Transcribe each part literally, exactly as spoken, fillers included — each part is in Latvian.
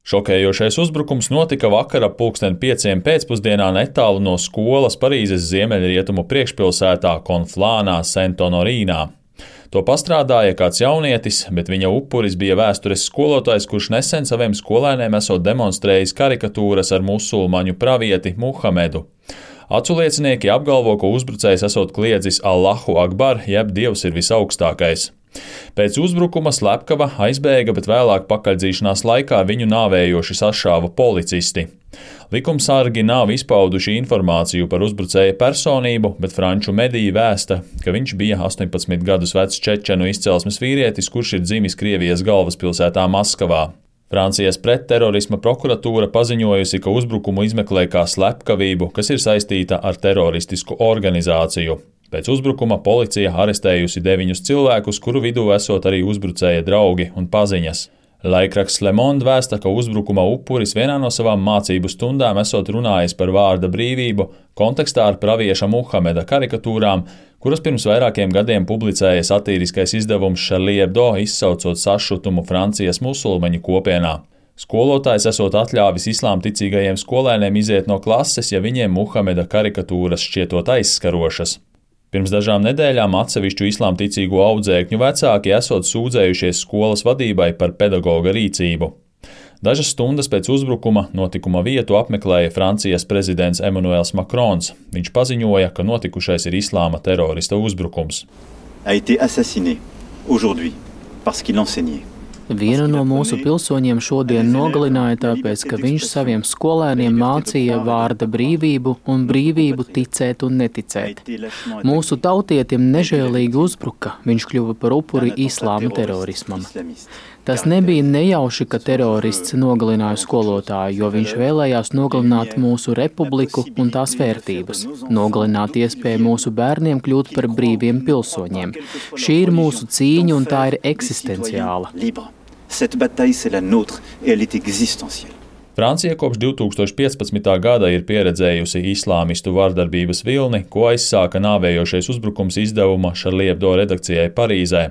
Šokējošais uzbrukums notika vakar ap pulksten pieciem pēcpusdienā netālu no skolas Parīzes ziemeļrietumu priekšpilsētā Konflānā Sent-Honorīnā. To pastrādāja kāds jaunietis, bet viņa upuris bija vēstures skolotājs, kurš nesen saviem skolēniem esot demonstrējis karikatūras ar musulmaņu pravieti Muhamedu. Aculiecinieki apgalvo, ka uzbrucējs esot kliedzis Allahu Akbar, jeb Dievs ir visaugstākais. Pēc uzbrukuma slepkava aizbēga, bet vēlāk pakaļdzīšanās laikā viņu nāvējoši sašāva policisti. Likumsargi nav izpauduši informāciju par uzbrucēja personību, bet franču mediji vēsta, ka viņš bija astoņpadsmit gadus vecs čečenu izcelsmes vīrietis, kurš ir dzimis Krievijas galvaspilsētā Maskavā. Francijas pretterorisma prokuratūra paziņojusi, ka uzbrukumu izmeklē kā slepkavību, kas ir saistīta ar teroristisku organizāciju. Pēc uzbrukuma policija arestējusi deviņus cilvēkus, kuru vidū esot arī uzbrucēja draugi un paziņas. Laikraksts Le Monde vēsta, ka uzbrukuma upuris vienā no savām mācību stundām esot runājis par vārda brīvību kontekstā ar pravieša Muhameda karikatūrām, kuras pirms vairākiem gadiem publicēja satīriskais izdevums Charlie Hebdo, izsaucot sašutumu Francijas musulmaņu kopienā. Skolotājs esot atļāvis islāmticīgajiem skolēniem iziet no klases, ja viņiem Muhameda karikatūras šķietot aizskarošas. Pirms dažām nedēļām atsevišķu islāmticīgo audzēkņu vecāki esot sūdzējušies skolas vadībai par pedagoga rīcību. Dažas stundas pēc uzbrukuma notikuma vietu apmeklēja Francijas prezidents Emmanuels Macrons. Viņš paziņoja, ka notikušais ir islāma terorista uzbrukums. A été assassiné aujourd'hui parce qu'il enseignait. Vienu no mūsu pilsoņiem šodien nogalināja tāpēc, ka viņš saviem skolēniem mācīja vārda brīvību un brīvību ticēt un neticēt. Mūsu tautietim nežēlīgi uzbruka, viņš kļuva par upuri islāma terorismam. Tas nebija nejauši, ka terorists nogalināja skolotāju, jo viņš vēlējās nogalināt mūsu republiku un tās vērtības, nogalināt iespēju mūsu bērniem kļūt par brīviem pilsoņiem. Šī ir mūsu cīņa un tā ir eksistenciāla. Cette bataille, c'est la nôtre et elle est existentielle. Francija kopš divi tūkstoši piecpadsmitā gada ir pieredzējusi islāmistu vardarbības vilni, ko aizsāka nāvējošais uzbrukums izdevuma Charlie Hebdo redakcijai Parīzē.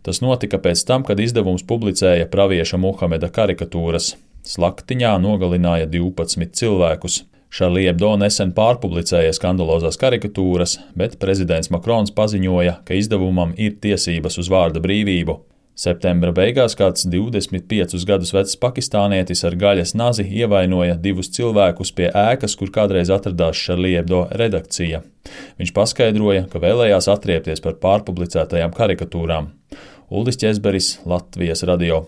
Tas notika pēc tam, kad izdevums publicēja pravieša Muhameda karikatūras. Slaktiņā nogalināja divpadsmit cilvēkus. Charlie Hebdo nesen pārpublicēja skandalozās karikatūras, bet prezidents Macrons paziņoja, ka izdevumam ir tiesības uz vārda brīvību. Septembra beigās kāds divdesmit piecus gadus vecs pakistānietis ar gaļas nazi ievainoja divus cilvēkus pie ēkas, kur kādreiz atradās Charlie Hebdo redakcija. Viņš paskaidroja, ka vēlējās atriepties par pārpublicētajām karikatūrām. Uldis Ķezberis, Latvijas radio.